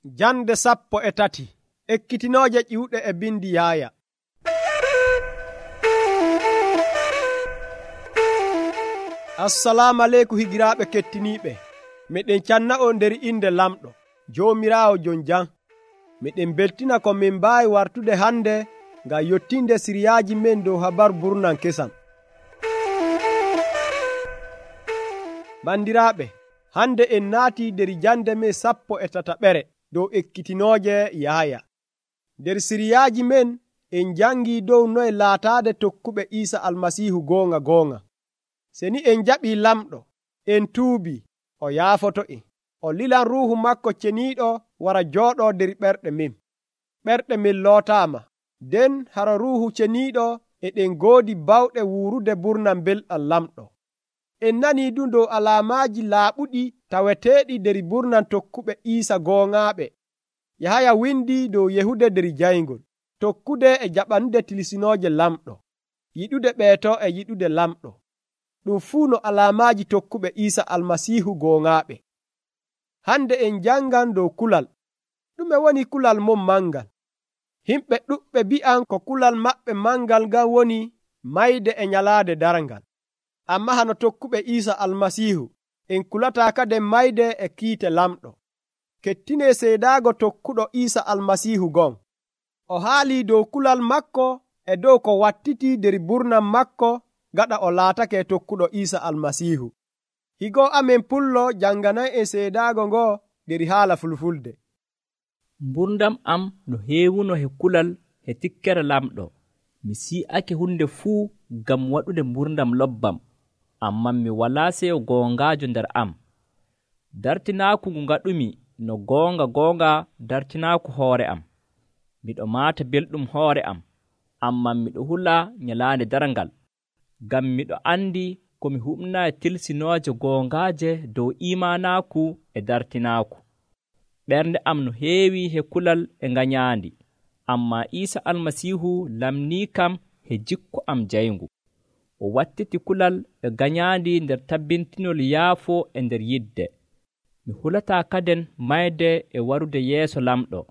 Jande 13 ekkitinooje ƴiwɗe e bindi Yaaya. Assalamu aleykum higiraaɓe kettiniiɓe. Miɗen canna'on nder inde lamɗo Joomiraawo jon jam. Miɗen beltina ko min mbaawi wartude hande ngam yottinde siriyaaji men dow habaru burnan kesam. Bandiraaɓe, hande en naatii nder jande men 13 dow ekkitinooje Yaaya. Nder siriyaaji men en jangii dow noye laataade tokkuɓe Iisa Almasiihu goonga. Se ni en jaɓii lamɗo, en tuubii, o yaafoto'en. O lilan Ruuhu makko ceniiɗo wara jooɗoo nder ɓerɗe men. Ɓerɗe men lootaama, nden hara Ruuhu ceniiɗo eɗen ngoodi bawɗe wuurude burnam belɗam lamɗo. En nanii du dow alaamaaji laaɓuɗi taweteeɗi nder burnan tokkuɓe Iisa gooŋaaɓe. Yahaya windii dow yehude nder jayngol, tokkude e jaɓanude tilsinooje lamɗo, yiɗude ɓeeto e yiɗude lamɗo. Ɗum fuu no alaamaaji tokkuɓe Iisa Almasiihu gooŋaaɓe. Hande en jangan dow kulal. Ɗume woni kulal mon mangal? Himɓe ɗuɓɓe bi'an ko kulal maɓɓe mangal ngan woni mayde e nyalaade darngal. Amma hano tokkuɓe Iisa Almasiihu en kulataa kaden mayde e kiite lamɗo. Kettinee seedaago tokkuɗo Iisa Almasiihu gon. O haalii dow kulal makko e dow ko wattitii nder burnam makko gaɗa o laatake tokkuɗo Iisa Almasiihu. Higo amen pullo janganan en seedaago ngo nder haala Fulfulde. Mburdam am no heewuno he kulal he tikkere lamɗo. Mi si'ake hunde fuu ngam waɗude mburdam lobbam, amman mi walaa seyo goongaajo nder am. Dartinaaku ngu ngaɗumi no goonga dartinaaku hoore am. Miɗo maata belɗum hoore am, amman miɗo hula nyalaande darngal, ngam miɗo andi ko mi huɓnaa tilsinooje goongaaje dow imanaaku e dartinaaku. Ɓernde am no heewi he kulal e ngañaandi, amma Iisa Almasiihu lamnii kam he jikku am jayngu. O wattiti kulal e gañaandi nder tabbintinol yaafo e nder yidde. Mi hulataa kaden mayde e warude yeeso lamɗo.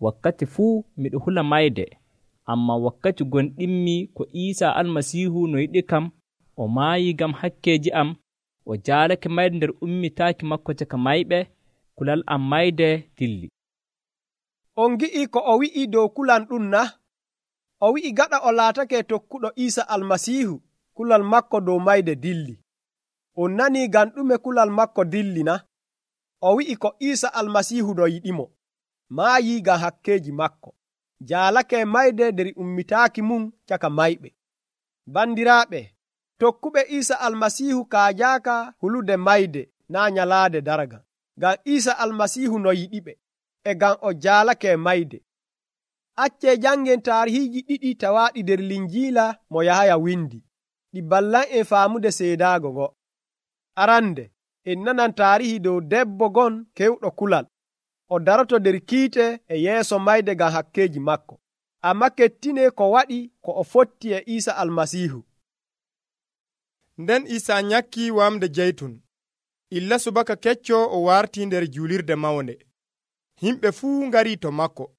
Wakkati fuu miɗo hula mayde, amma wakkati gonɗinmi ko Iisa Almasiihu no yiɗi kam, o maayii ngam hakkeeji am, o jaalake mayde nder ummitaaki makko caka mayɓe, kulal am mayde dilli. On gi'ii ko o wi'i dow kulal ɗum na? O wi'i gaɗa o laatake tokkuɗo Iisa Almasiihu, kulal makko dow mayde dilli. On nanii ngam ɗume kulal makko dilli na? O wi'i ko Iisa Almasiihu no yiɗimo, maayii ngam hakkeeji makko, jaalake mayde nder ummitaaki mum caka mayɓe. Bandiraaɓe, tokkuɓe Iisa Almasiihu kaajaaka hulude mayde naa nyalaade dargal, ngam Iisa Almasiihu no yiɗiɓe, e ngam o jaalake mayde. Accee jangen taarihiiji ɗiɗi tawaaɗi nder Linjiila mo Yahaya windi, ɗi ballan en faamude seedaago ngo. Arande, en nanan taarihi dow debbo gon kewɗo kulal. O daroto nder kiite e yeeso mayde ngam hakkeeji makko. Amma kettinee ko waɗi ko o fotti e Iisa Almasiihu. Nden Iisa nyakkii wamde jeytun. Illa subaka kecco o wartii nder juulirde mawnde. Himɓe fuu ngarii to makko.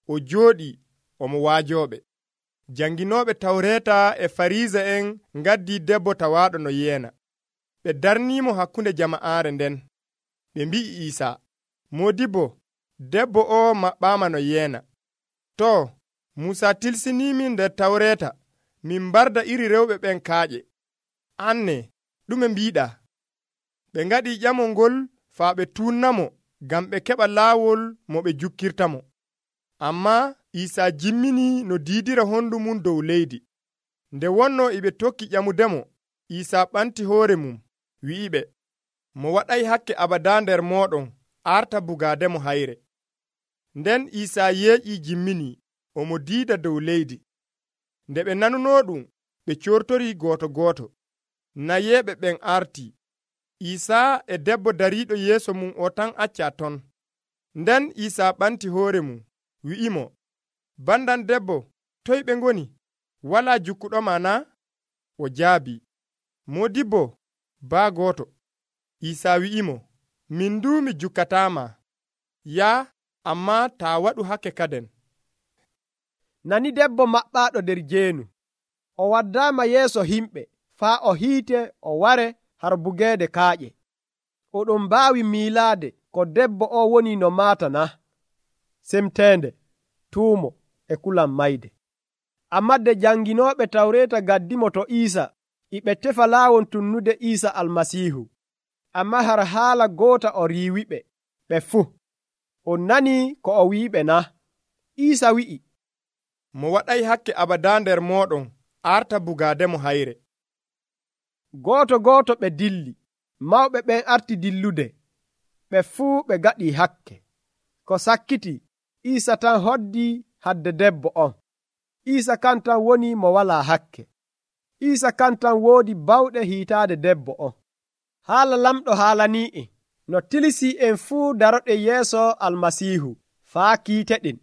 O jooɗii omo waajooɓe. Janginooɓe Tawreeta e Fariisa'en ngaddii debbo tawaaɗo no yeena. Ɓe darniimo hakkunde jama'aare nden. Ɓe mbi'i Iisa, Moodibbo, debbo o maɓɓaama no yeena. Too, Muusa tilsiniimin nder Tawreeta min mbarda iri rewɓe ɓen kaaƴe. Anne, ɗume mbiiɗaa? Ɓe ngaɗii ƴamol ngol faa ɓe tuunnamo ngam ɓe keɓa laawol mo ɓe jukkirtamo. Ammaa Iisa jimminii no diidira hondu mum dow leydi. Nde wonnoo e ɓe tokki ƴamudemo, Iisa ɓanti hoore mum, wi'iɓe, mo waɗay hakke abadaa nder mooɗon arta bugaademo hayre. Nden Iisa yeeƴii jimminii, omo diida dow leydi. Nde ɓe nanunoo ɗum, ɓe coortorii gooto. Nayeeɓe ɓen artii. Iisa e debbo dariiɗo yeeso mum o tan accaa ton. Nden Iisa ɓanti hoore mum, wi'imo, bandan debbo, toy ɓe ngoni? Walaa jukkuɗoma na? O jaabii, Moodibbo, baa gooto. Iisa wi'imo, min nduu mi jukkataama. Yaa, ammaa taa waɗu hakke kaden. Nani debbo maɓɓaaɗo nder jeenu. O waddaama yeeso himɓe faa o hiite o ware har bugeede kaaƴe. Oɗon mbaawi miilaade ko debbo o woni no maata na? Semteende, tuumo e kulan mayde. Ammaa de janginooɓe Tawreeta gaddimo to Iisa, e ɓe tefa laawol tunnude Iisa Almasiihu. Ammaa har haala goota o riiwiɓe, ɓe fuu. On nanii ko o wi'iɓe na? Iisa wi'i, mo waɗay hakke abadaa nder mooɗon arta bugaademo hayre. Gooto ɓe dilli, mawɓe ɓen arti dillude, ɓe fuu ɓe gaɗii hakke. Ko sakkiti, Iisa tan hoddii hadde debbo on. Iisa kan tan woni mo walaa hakke. Iisa kan tan woodi bawɗe hiitaade debbo on. Haala lamɗo haalanii'en no tilisii en fuu daroɗen yeeso Almasiihu faa kiiteɗen,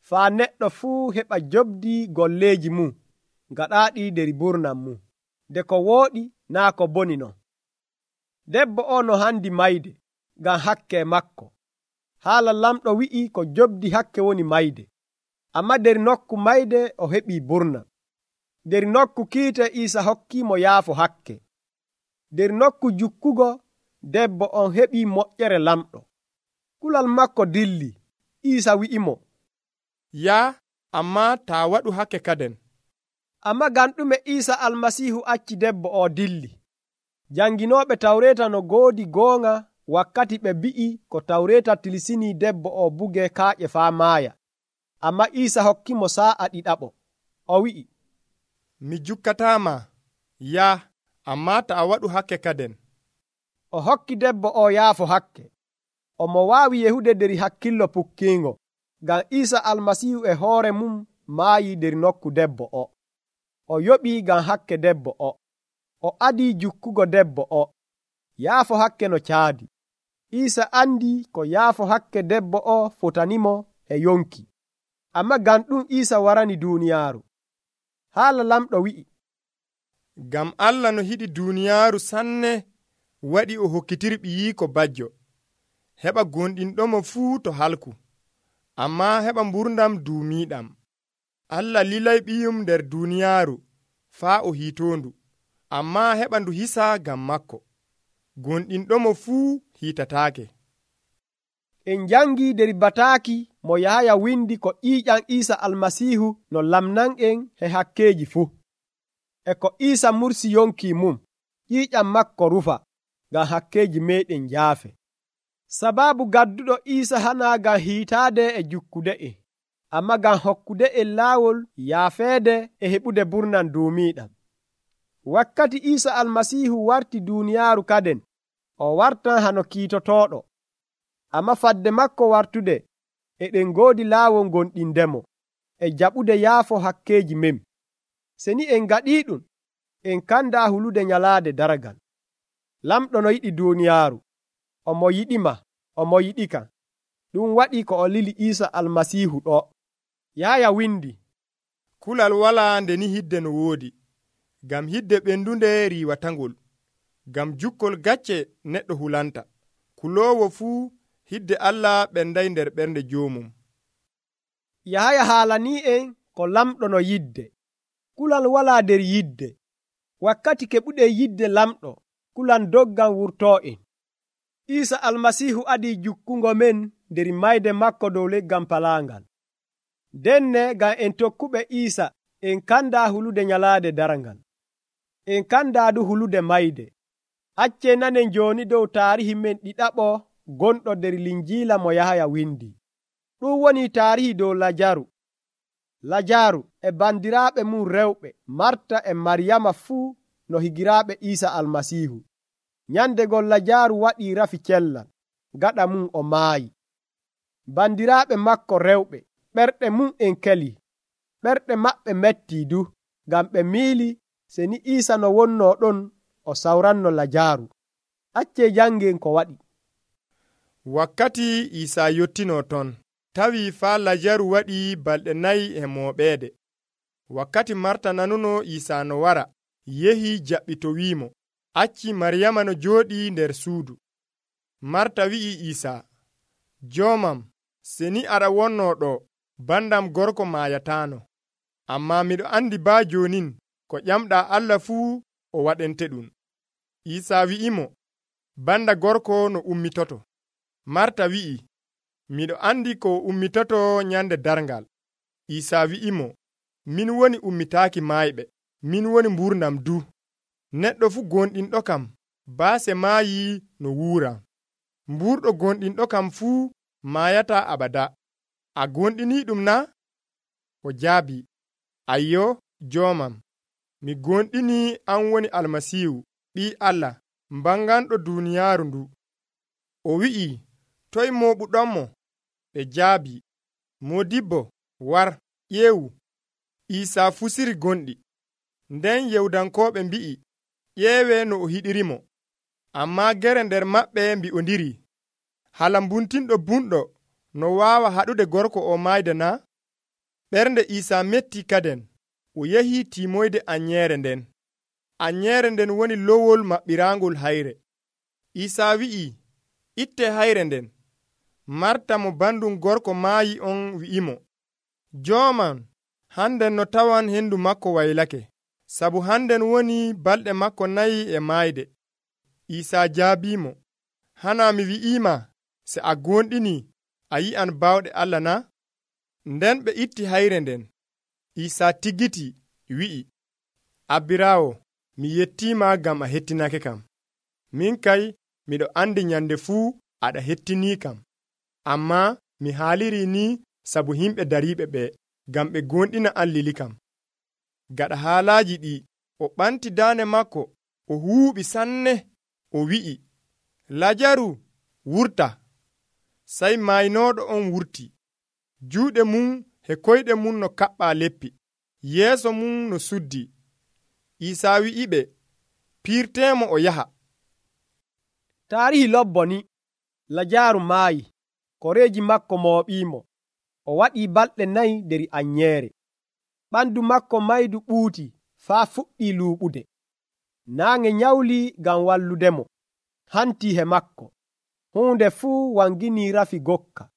faa neɗɗo fuu heɓa jobdii golleeji mum gaɗaaɗi nder burnam mum, nde ko wooɗi naa ko boni non. Debbo o no handi mayde ngam hakke makko. Haala lamɗo wi'i ko jobdi hakke woni mayde, ammaa nder nokku mayde o heɓii burnam. Nder nokku kiite Iisa hokkiimo yaafo hakke. Nder nokku jukkugo debbo on heɓii moƴƴere lamɗo. Kulal makko dilli. Iisa wi'imo, yaa, ammaa taa waɗu hakke kaden. Ammaa ngam ɗume Iisa Almasiihu acci debbo o dilli? Janginooɓe Tawreeta no goodi goonga wakkati ɓe mbi'i ko Tawreeta tilisinii debbo o buge kaaƴe faa maaya. Ammaa Iisa hokkimo saa'a ɗiɗaɓo. O wi'i, mi jukkataama, yaa, ammaa taa waɗu hakke kaden. O hokki debbo o yaafo hakke. Omo waawi yehude nder hakkillo pukkiingo, ngam Iisa Almasiihu e hoore mum maayi nder nokku debbo o. O yoɓii ngam hakke debbo o. O adii jukkugo debbo o. Yaafo hakke no caadi. Iisa andi ko yaafo hakke debbo o fotanimo e yonki. Ammaa ngam ɗum Iisa warani duuniyaaru. Haala lamɗo wi'i, ngam Allah no yiɗi duuniyaaru sanne waɗi o hokkitiri ɓiyiiko bajjo, heɓa gonɗinɗomo fuu to halku, ammaa heɓa mburdam duumiiɗam. Allah lilay ɓiyum nder duuniyaaru faa o hiitoondu, ammaa heɓa ndu hisa ngam makko. Gonɗinɗomo fuu hiitataake. En jangii nder bataaki mo Yahaya windi ko ƴiiƴam Iisa Almasiihu no lamnan'en he hakkeeji fuu. E ko Iisa mursi yonki mum, ƴiiƴam makko rufa, ngam hakkeeji meeɗen njaafe. Sabaabu gadduɗo Iisa hanaa ngam hiitaade e jukkude'en, ammaa ngam hokkude'en laawol yaafeede e heɓude burnam duumiiɗam. Wakkati Iisa Almasiihu warti duuniyaaru kaden, o wartan hano kiitotooɗo. Ammaa fadde makko wartude, eɗen ngoodi laawol gonɗindemo, e jaɓude yaafo hakkeeji men. Se ni en ngaɗii ɗum, en kandaa hulude nyalaade daragal. Lamɗo no yiɗi duuniyaaru, omo yiɗima, omo yiɗika. Ɗum waɗi ko o lili Iisa Almasiihu ɗo. Yahaya windi, kulal walaa nde ni hidde no woodi, ngam hidde ɓendunde riiwatangol, ngam jukkol gacce neɗɗo hulanta. Kuloowo fuu hidde Allah ɓenday nder ɓernde joomum. Yahaya haalanii en ko lamɗo no yidde. Kulal walaa nder yidde. Wakkati keɓuɗen yidde lamɗo, kulan doggan wurtoo en. Iisa Almasiihu adii jukkungo men nder mayde makko dow leggal palaangal. Denne ngam en tokkuɓe Iisa en kandaa hulude nyalaade darangal. En kandaa du hulude mayde. Accee nanen jooni dow taarihi men ɗiɗaɓo gonɗo nder linjiila mo Yahaya windi. Ɗum woni taarihi dow Lajaru. Lajaru e bandiraaɓe mum rewɓe Marta e Maryama fuu no higiraaɓe Iisa Almasiihu. Nyandegol Lajaru waɗii rafi cellal, gaɗa mum o maayi. Bandiraaɓe makko rewɓe, ɓerɗe mum en keli, ɓerɗe maɓɓe mettii du, ngam ɓe miili se ni Iisa no wonnoo ɗon o sawranno Lajaru. Accee jangen ko waɗi. Wakkati Iisa yottinoo ton, tawi faa Lajaru waɗi balɗe 4 e mooɓeede. Wakkati Marta nanuno Iisa no wara, yehi jaɓɓitowiimo, acci Maryama no jooɗii nder suudu. Marta wi'i Iisa, joomam, seni aɗa wonno ɗo bandam gorko maayataano. Ammaa miɗo andi baa jonin ko ƴamɗaa Allah fuu o waɗente ɗum. Iisaa wi'imo, banda gorko no ummitoto. Marta wi'i, miɗo andi ko ummitoto nyande darngal. Iisaa wi'imo, min woni ummitaaki maayɓe, min woni mburnam du. Neɗɗo fu gonɗinɗo kam baase maayi no wuura. Mburɗo gonɗinɗo kam fuu maayata abada. A gonɗini ɗum na? O jaabi, ayyo, joomam. Mi gonɗini an woni Almasiihu, Ɓii Allah, mbanganɗo duuniyaaru ndu. O wi'i, toy mooɓuɗonmo? Ɓe jaabi, Moodibbo, war, ƴeewu. Iisaa fusiri gonɗi. Nden Yewudankooɓe mbi'i, ƴeewe no o hiɗirimo. Ammaa gere nder maɓɓe mbi'ondiri, hala mbuntinɗo bunɗo no waawa haɗude gorko o maayde na? Ɓernde Iisaa metti kaden. O yahii timoyde anyeere nden. Anyeere nden woni lowol maɓɓiraangol hayre. Iisaa wi'i, itte hayre nden. Marta mo bandum gorko maayi on wi'imo, Jooman, hannden no tawan hendu makko waylake, sabu hannden woni balɗe makko 4 e maayde. Iisaa jaabiimo, hana mi wi'iima, se a gonɗini a yi'an bawɗe Allah na? Nden ɓe itti hayre nden. Iisaa tigiti wi'i, Abbiraawo, mi yettiima ngam a hettinake kam. Min kay miɗo andi nyande fuu aɗa hettinii kam. Ammaa mi haaliri ni sabu himɓe dariiɓe ɓe, ngam ɓe gonɗina an lili kam. Gaɗa haalaaji ɗi, o ɓanti daande makko, o huuɓi sanne, o wi'i, Lajaru, wurta. Sey maynooɗo on wurti. Juuɗe mum e koyɗe mum no kaɓɓaa leppi, yeeso mum no suddi. Iisaa wi'iɓe, piirteemo o yaha. Taarihi lobbo ni, Lajaaru maayi, koreeji makko mooɓiimo. O waɗii balɗe 4 nder anyeere. Ɓandu makko maydu ɓuuti faa fuɗɗii luuɓude. Naange nyawli ngam walludemo, hantii he makko. Huunde fuu wanginii rafi gokka.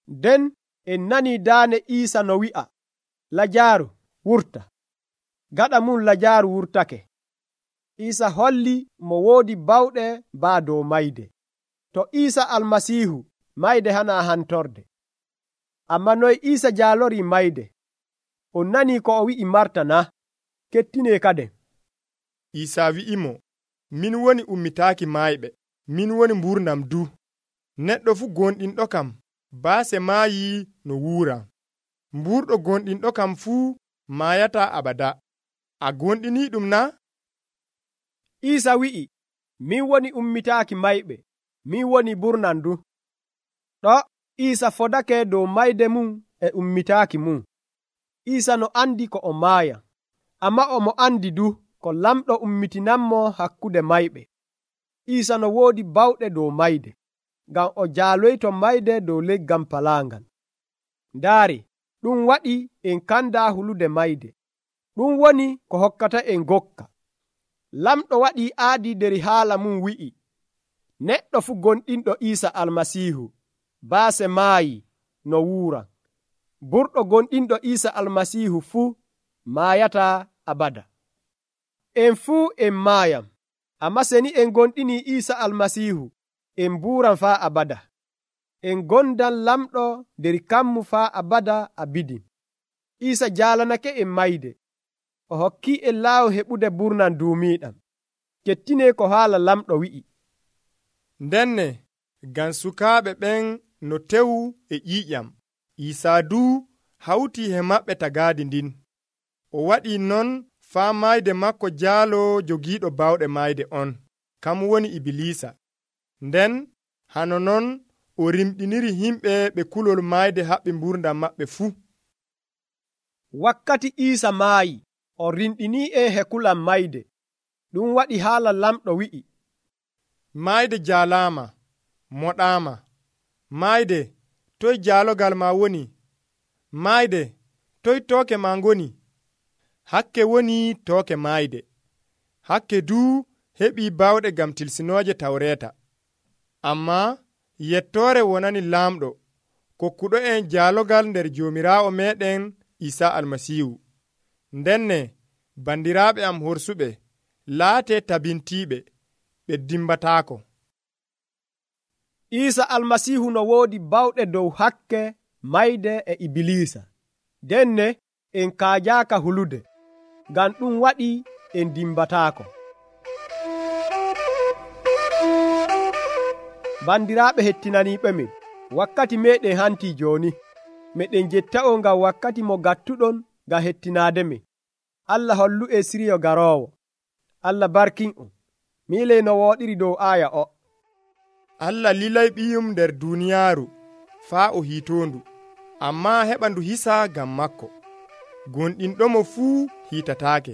Nden en nanii daane Iisa no wi'a, Lajaaru, wurta. Gaɗa mum Lajaaru wurtake. Iisa holli mo woodi bawɗe baa dow mayde. To Iisa Almasiihu, mayde hana hantorde. Amma noy Iisa jaalorii mayde? On nanii ko o wi'i Marta na? Kettinee kaden. Iisaa wi'imo, min woni ummitaaki maayɓe, min woni mburnam du. Neɗɗo fu gonɗinɗo kam baase maayi no wuura. Mburɗo gonɗinɗo kam fuu maayata abada. A gonɗini ɗum na? Iisa wi'i, min woni ummitaaki mayɓe, min woni mburnam du. Ɗo Iisa fodake dow mayde mum e ummitaaki mum. Iisa no andi ko o maaya, amma omo andi du ko lamɗo ummitinanmo hakkude mayɓe. Iisa no woodi bawɗe dow mayde, ngam o jaaloyto mayde dow leggal palaangal. Ndaari, ɗum waɗi en kanda hulude mayde. Ɗum woni ko hokkata en gokka. Lamɗo waɗii aadi nder haala mum wi'i, neɗɗo fu gonɗinɗo Iisa Almasiihu, baase maayi no wuura. Burɗo gonɗinɗo Iisa Almasiihu fuu maayata abada. En fuu en maayam, amma seni en gonɗini Iisa Almasiihu, en mbuuran faa abada. En gondan lamɗo nder kammu faa abada abidin. Iisa jaalanake en mayde. O hokki en laawu heɓude burnan duumiiɗam. Kettine ko haala lamɗo wi'i. Ndenne, ngam sukaaɓe ɓen no tewu e ƴiiƴam, Iisaa duu hawtii he maɓɓe tagaadi ndin. O waɗii non faa mayde makko jaalo jogiiɗo bawɗe mayde on, kam woni Ibilisa. Nden hano non o rimɗiniri himɓe ɓe kulol mayde haɓɓi mburdam maɓɓe fuu. Wakkati Iisa maayi, o rimɗinii en he kulam mayde. Ɗum waɗi haala lamɗo wi'i, mayde jaalaama, moɗaama. Mayde, toy jaalogal ma woni? Mayde, toy tooke ma ngoni? Hakke woni tooke mayde. Hakke duu heɓii bawɗe ngam tilsinooje Tawreeta. Ammaa yettoore wonani laamɗo, kokkuɗo en jaalogal nder Joomiraawo meɗen Isaa Almasiihu. Ndenne bandiraaɓe am horsuɓe, laatee tabintiiɓe, ɓe dimbataako. Isaa Almasiihu no woodi bawɗe dow hakke mayde e Ibilisa. Denne en kaajaaka hulude, ngam ɗum waɗi en dimbataako. Bandiraaɓe hettinaniiɓe min, wakkati meɗen hantii jooni. Meɗen jetta'o ngam wakkati mo gattuɗon ngam hettinaade min. Allah hollu e siriyo garoowo. Allah barkin'on. Miiley no wooɗiri dow aaya o. Allah lilay ɓiyum nder duuniyaaru faa o hiitoondu, ammaa heɓa ndu hisa ngam makko. Gonɗinɗomo fuu hiitataake.